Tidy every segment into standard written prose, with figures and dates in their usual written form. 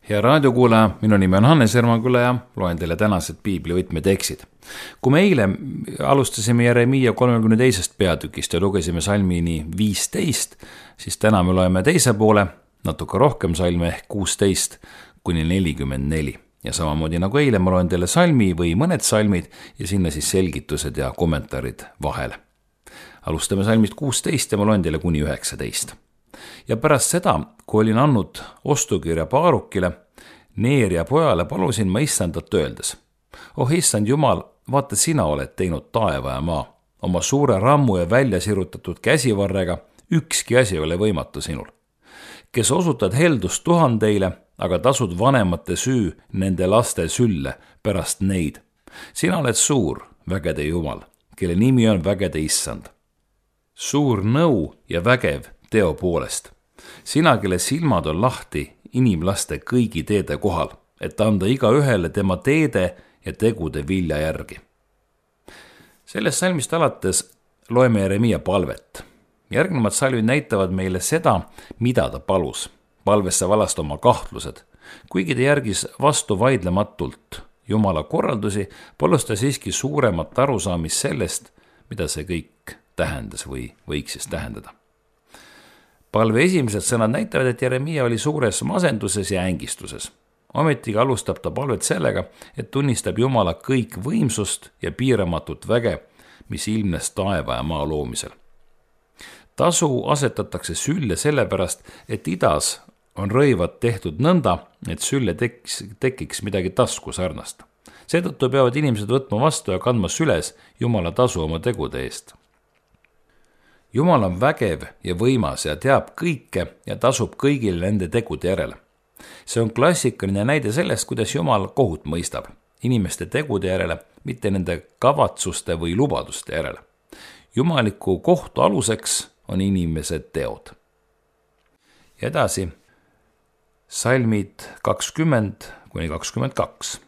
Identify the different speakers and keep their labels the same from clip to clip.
Speaker 1: Hea raadiokuulaja, minu nimi on Hannes Ermaküla ja loen teile tänased piibli võtmetekstid. Kui me eile alustasime Jeremiia 32. peatükist ja lugesime salmini 15, siis täna me loeme teise poole, natuke rohkem salme ehk 16 kuni 44. Ja samamoodi nagu eile ma loen teile salmi või mõned salmid ja sinna siis selgitused ja kommentaarid vahele. Alustame salmist 16 ja ma loen teile kuni 19. Ja pärast seda, kui olin andnud ostukirja Baarukile, Neeria pojale, palusin ma issandat öeldes. Oh issand Jumal, vaata sina oled teinud taeva ja maa. Oma suure rammu ja välja sirutatud käsivarrega ükski asi ei ole võimatu sinul. Kes osutad heldust tuhandeile, aga tasud vanemate süü nende laste sülle pärast neid. Sina oled suur, vägede Jumal, kelle nimi on vägede issand. Suur nõu ja vägev teo poolest. Sina, kelle silmad on lahti inimlaste kõigi teede kohal, et anda iga ühele tema teede ja tegude vilja järgi. Sellest salmist alates loeme Jeremiia palvet. Järgnevad salmid näitavad meile seda, mida ta palus. Palvesse valast oma kahtlused. Kuigi ta järgis vastu vaidlematult Jumala korraldusi, palus ta siiski suuremat arusaamist sellest, mida see kõik tähendas või võiks siis tähendada. Palve esimesed sõnad näitavad, et Jeremiia oli suures masenduses ja ängistuses. Ometiga alustab ta palvet sellega, et tunnistab Jumala kõik võimsust ja piiramatut väge, mis ilmnes taeva ja maa loomisel. Tasu asetatakse sülle sellepärast, et idas on rõivad tehtud nõnda, et sülle tekiks midagi tasku sarnast. Seetõttu peavad inimesed võtma vastu ja kandma süles Jumala tasu oma tegude eest. Jumal on vägev ja võimas ja teab kõike ja tasub kõigile nende tegude järele. See on klassikaline näide sellest, kuidas Jumal kohut mõistab inimeste tegude järele, mitte nende kavatsuste või lubaduste järele. Jumaliku kohtu aluseks on inimesed teod. Ja edasi, salmid 20 kuni 22.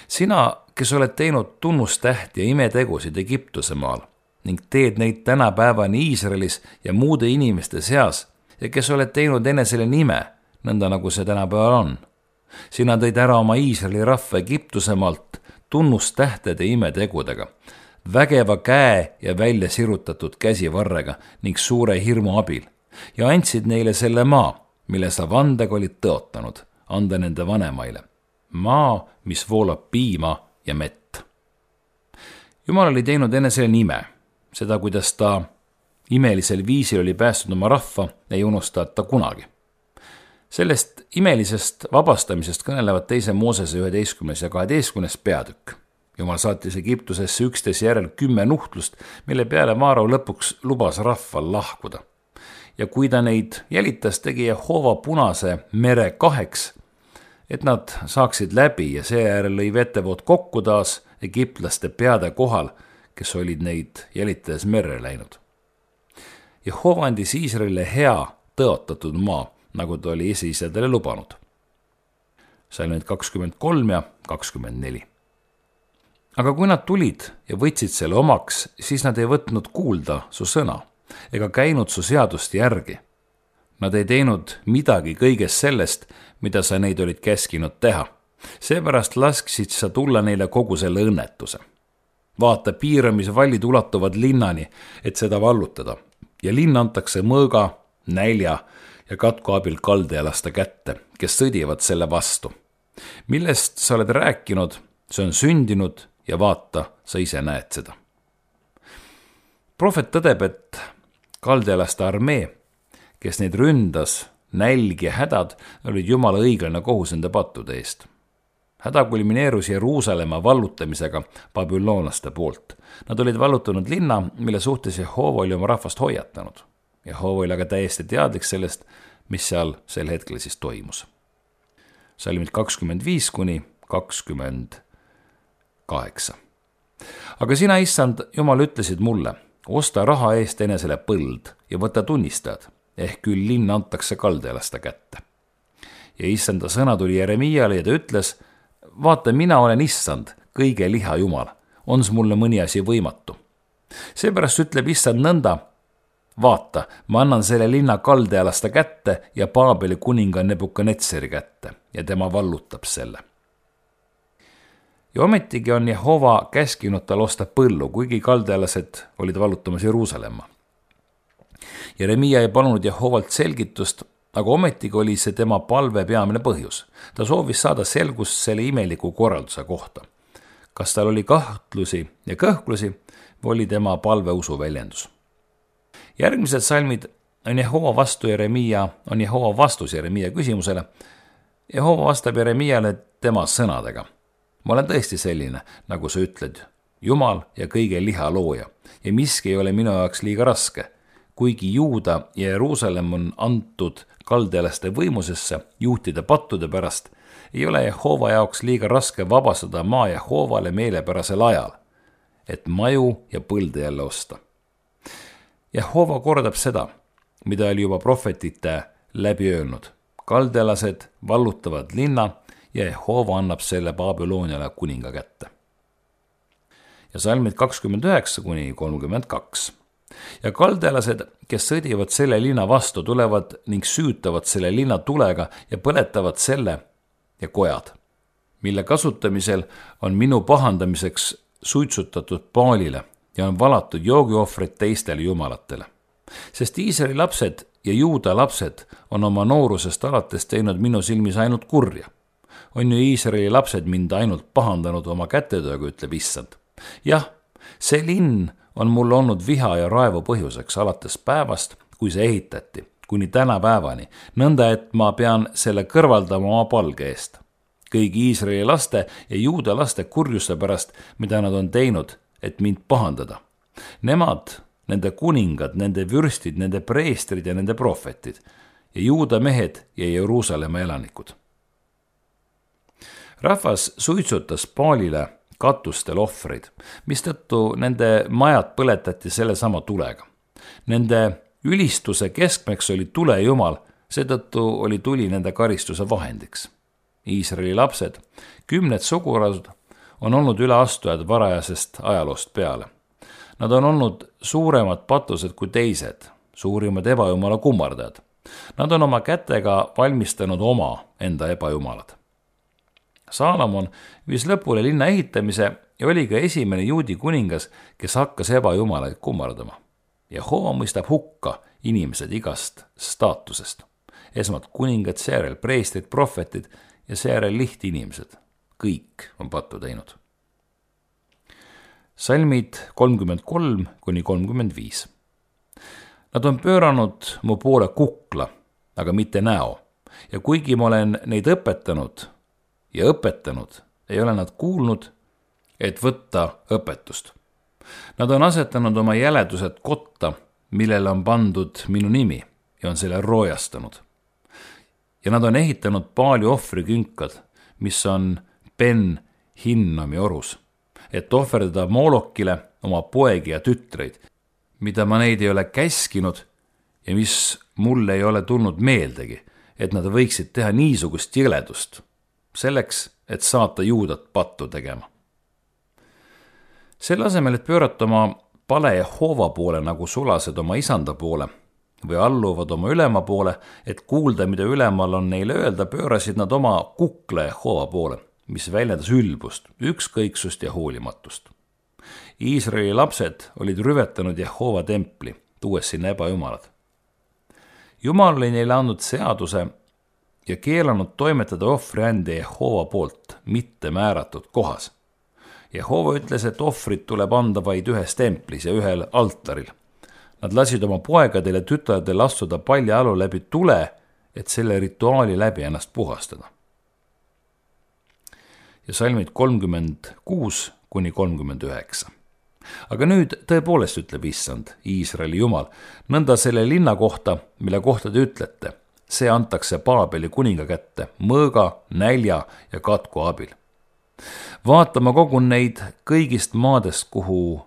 Speaker 1: Sina, kes oled teinud tunnustähti ja imetegusid Egiptuse maal, ning teed neid tänapäevani Iisraelis ja muude inimeste seas ja kes oled teinud enesele nime, nõnda nagu see tänapäeval on. Sina tõid ära oma Iisraeli rahva Egiptusemaalt tunnustähtede imetegudega, vägeva käe ja välja sirutatud käsivarrega ning suure hirmu abil ja andsid neile selle maa, mille sa vandega olid tõotanud, anda nende vanemaile. Maa, mis voolab piima ja mett. Jumal oli teinud enesele nime. Seda, kuidas ta imelisel viisil oli päästnud oma rahva, ei unustata kunagi. Sellest imelisest vabastamisest kõnelevad 2. Moosese 11. ja 12. peatükk. Jumal saatis Egiptusesse 11 järel 10 nuhtlust, mille peale Vaarao lõpuks lubas rahval lahkuda. Ja kui ta neid jälitas, tegi Jehova Punase mere 2, et nad saaksid läbi ja seejärel lõi vetevood kokku taas egiptlaste peade kohal, kes olid neid jälitades merre läinud. Jehova andis Iisraelile hea tõotatud maa, nagu ta oli esiisadele lubanud. Salmid 23 ja 24. Aga kui nad tulid ja võtsid selle omaks, siis nad ei võtnud kuulda su sõna ega käinud su seadust järgi. Nad ei teinud midagi kõigest sellest, mida sa neid olid käskinud teha. Seepärast lasksid sa tulla neile kogu selle õnnetuse. Vaata, piiramisvallid ulatuvad linnani, et seda vallutada. Ja linn antakse mõõga, nälja ja katku abil kaldealaste kätte, kes sõdivad selle vastu. Millest sa oled rääkinud, see on sündinud ja vaata, sa ise näed seda. Prohvet tõdeb, et kaldealaste armee, kes neid ründas, nälg ja hädad, olid Jumala õiglane kohus nende pattude eest. Häda kulmineerus Jeruusalemma vallutamisega babüloonlaste poolt. Nad olid vallutanud linna, mille suhtes Jehova oli oma rahvast hoiatanud. Jehova oli aga täiesti teadlik sellest, mis seal sel hetkel siis toimus. Salmid 25 kuni 28. Aga sina, issand Jumal, ütlesid mulle, osta raha eest enesele põld ja võta tunnistajad, ehk küll linn antakse kaldealaste kätte. Ja issanda sõna tuli Jeremiiale ja ta ütles, vaata, mina olen issand, kõige liha Jumal, on mulle mõni asi võimatu. Seepärast ütleb issand nõnda, vaata, ma annan selle linna kaldealaste kätte ja Paabeli kuninga Nebukadnetsari kätte ja tema vallutab selle. Ja ometigi on Jehova käskinud tal osta põllu, kuigi kaldealased olid vallutamas Jeruusalemma. Jeremiia ei palunud Jehovalt selgitust, aga ometigi oli see tema palve peamine põhjus. Ta soovis saada selgust selle imeliku korralduse kohta. Kas tal oli kahtlusi ja kõhklusi või oli tema palve usu väljendus. Järgmised salmid on Jehova vastus Jeremiia küsimusele. Jehova vastab Jeremiale tema sõnadega. Ma olen tõesti selline, nagu sa ütled, Jumal ja kõige liha looja ja miski ei ole minu jaoks liiga raske. Kuigi Juuda ja Jeruusalemm on antud kaldealaste võimusesse juhtida pattude pärast, ei ole Jehova jaoks liiga raske vabastada maa Jehovale meelepärasel ajal, et maju ja põlde jälle osta. Jehova kordab seda, mida oli juba prohvetite läbi öelnud. Kaldealased vallutavad linna ja Jehova annab selle Babyloniale kuninga kätte. Ja salmid 29-32. Ja kaldealased, kes sõdivad selle linna vastu, tulevad ning süütavad selle linna tulega ja põletavad selle ja kojad, mille kasutamisel on minu pahandamiseks suitsutatud Baalile ja on valatud joogiohvrid teistele jumalatele. Sest Iisraeli lapsed ja Juuda lapsed on oma noorusest alates teinud minu silmis ainult kurja. On ju Iisraeli lapsed mind ainult pahandanud oma kätetööga, ütleb Issand. Jah, see linn on mul olnud viha ja raevu põhjuseks alates päevast, kui see ehitati, kuni tänapäevani, nõnda et ma pean selle kõrvaldama oma palge eest. Kõigi Iisraeli laste ja Juuda laste kurjuste pärast, mida nad on teinud, et mind pahandada. Nemad, nende kuningad, nende vürstid, nende preestrid ja nende prohvetid ja Juuda mehed ja Jeruusalemma elanikud. Rahvas suitsutas Baalile katustel ohvreid, mistõttu nende majad põletati selle sama tulega. Nende ülistuse keskmeks oli tule jumal, seetõttu oli tuli nende karistuse vahendiks. Iisraeli lapsed, 10 sugulasud, on olnud üleastujad varajasest ajaloost peale. Nad on olnud suuremad patused kui teised, suurimad ebajumala kummardajad. Nad on oma kätega valmistanud oma enda ebajumalad. Saalomon viis lõpule linna ehitamise ja oli ka esimene juudi kuningas, kes hakkas ebajumalaid kummardama. Jehova mõistab hukka inimesed igast staatusest. Esmalt kuningad, seejärel preestrid, prohvetid ja seejärel lihtinimesed. Kõik on pattu teinud. Salmid 33-35. Nad on pööranud mu poole kukla, aga mitte näo. Ja kuigi ma olen neid õpetanud, ei ole nad kuulnud, et võtta õpetust. Nad on asetanud oma jäledused kotta, millele on pandud minu nimi ja on selle roojastanud. Ja nad on ehitanud Baali ohvrikünkad, mis on Ben Hinnomi orus, et ohverdada Molokile oma poegi ja tütreid, mida ma neid ei ole käskinud ja mis mulle ei ole tulnud meeldegi, et nad võiksid teha niisugust jõledust, selleks, et saata Juudat pattu tegema. Selle asemel, et pöörata oma pale Jehova poole nagu sulased oma isanda poole või alluvad oma ülema poole, et kuulda, mida ülemal on neile öelda, pöörasid nad oma kukla Jehova poole, mis väljendas ülbust, ükskõiksust ja hoolimatust. Iisraeli lapsed olid rüvetanud Jehova templi, tuues sinna ebajumalad. Jumal oli neile andnud seaduse ja keelanud toimetada ohvriande Jehova poolt mitte määratud kohas. Jehova ütles, et ohvrid tuleb anda vaid ühes templis ja ühel altaril. Nad lasid oma poegadel ja tütardel astuda paljajalu läbi tule, et selle rituaali läbi ennast puhastada. Ja salmid 36-39. Aga nüüd tõepoolest ütleb Issand, Iisraeli Jumal, nõnda selle linna kohta, mille kohta te ütlete, see antakse Paabeli kuninga kätte mõõga, nälja ja katku abil. Vaata, ma kogun neid kõigist maadest, kuhu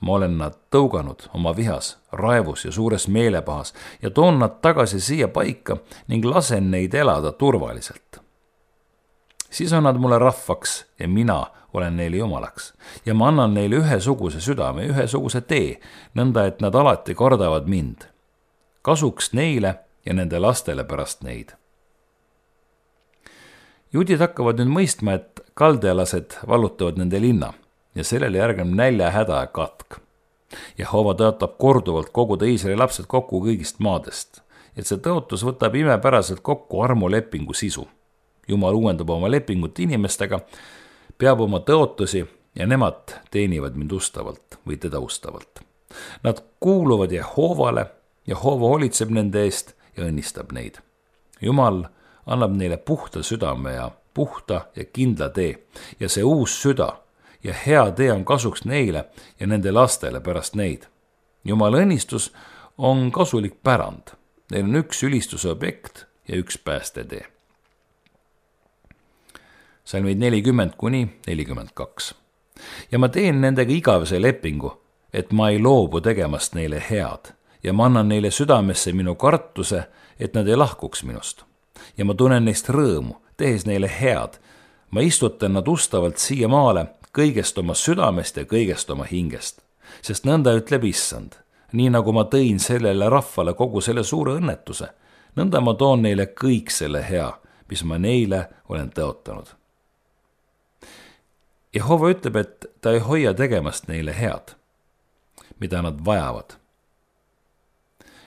Speaker 1: ma olen nad tõuganud oma vihas, raevus ja suures meelepahas ja toon nad tagasi siia paika ning lasen neid elada turvaliselt. Siis on nad mulle rahvaks ja mina olen neile jumalaks ja ma annan neile ühesuguse südame, ühesuguse tee, nõnda et nad alati kardavad mind. Kasuks neile ja nende lastele pärast neid. Juudid hakkavad nüüd mõistma, et kaldealased vallutavad nende linna ja sellele järgneb näljahäda ja katk. Jehova tõotab korduvalt koguda Iisraeli lapsed kokku kõigist maadest, et see tõotus võtab imepäraselt kokku armulepingu sisu. Jumal uuendab oma lepingut inimestega, peab oma tõotusi ja nemad teenivad mind ustavalt või teda ustavalt. Nad kuuluvad Jehovale, Jehova hoolitseb nende eest ja õnnistab neid. Jumal annab neile puhta südame ja puhta ja kindla tee ja see uus süda ja hea tee on kasuks neile ja nende lastele pärast neid. Jumala õnnistus on kasulik pärand. Neil on üks ülistuse objekt ja üks päästetee. Salmid 40–42. Ja ma teen nendega igavese lepingu, et ma ei loobu tegemast neile head ja ma annan neile südamesse minu kartuse, et nad ei lahkuks minust. Ja ma tunnen neist rõõmu, tehes neile head. Ma istutan nad ustavalt siia maale kõigest oma südamest ja kõigest oma hingest, sest nõnda ütleb Issand. Nii nagu ma tõin sellele rahvale kogu selle suure õnnetuse, nõnda ma toon neile kõik selle hea, mis ma neile olen tõotanud. Jehova ütleb, et ta ei hoia tegemast neile head, mida nad vajavad.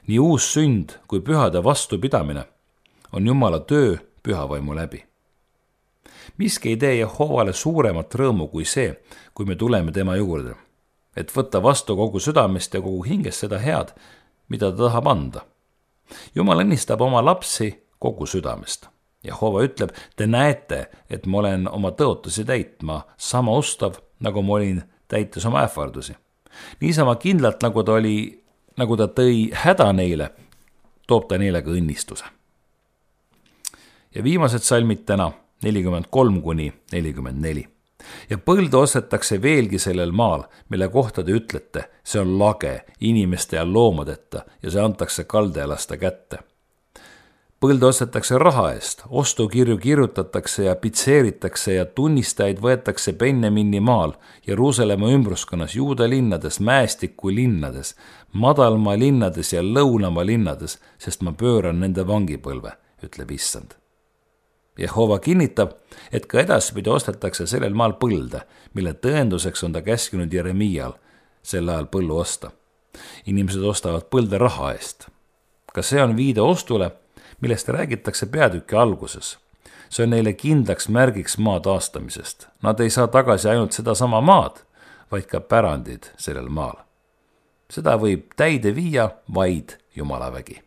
Speaker 1: Nii uus sünd kui pühade vastupidamine on Jumala töö pühavaimu läbi. Miski ei tee Jehovale suuremat rõõmu kui see, kui me tuleme tema juurde, et võtta vastu kogu südamest ja kogu hingest seda head, mida ta tahab anda. Jumal õnnistab oma lapsi kogu südamest. Jehova ütleb, te näete, et ma olen oma tõotusi täitma sama ustav, nagu ma olin täites oma ähvardusi. Niisama kindlalt, nagu ta tõi häda neile, toob ta neile ka õnnistuse. Ja viimased salmid täna 43–44. Ja põldu ostetakse veelgi sellel maal, mille kohta te ütlete, see on lage inimeste ja loomadeta ja see antakse kaldealaste kätte. Põldu ostetakse raha eest, ostukirju kirjutatakse ja pitseeritakse ja tunnistajaid võetakse Benjamini maal, Jeruusalemma ümbruskonnas, Juuda linnades, mäestiku linnades, madalmaa linnades ja lõunamaa linnades, sest ma pööran nende vangipõlve, ütleb Issand. Jehova kinnitab, et ka edaspidi ostetakse sellel maal põlde, mille tõenduseks on ta käskinud Jeremial sel ajal põllu osta. Inimesed ostavad põlde raha eest. Ka see on viide ostule, millest räägitakse peatüki alguses. See on neile kindlaks märgiks maa taastamisest. Nad ei saa tagasi ainult seda sama maad, vaid ka pärandid sellel maal. Seda võib täide viia vaid Jumala vägi.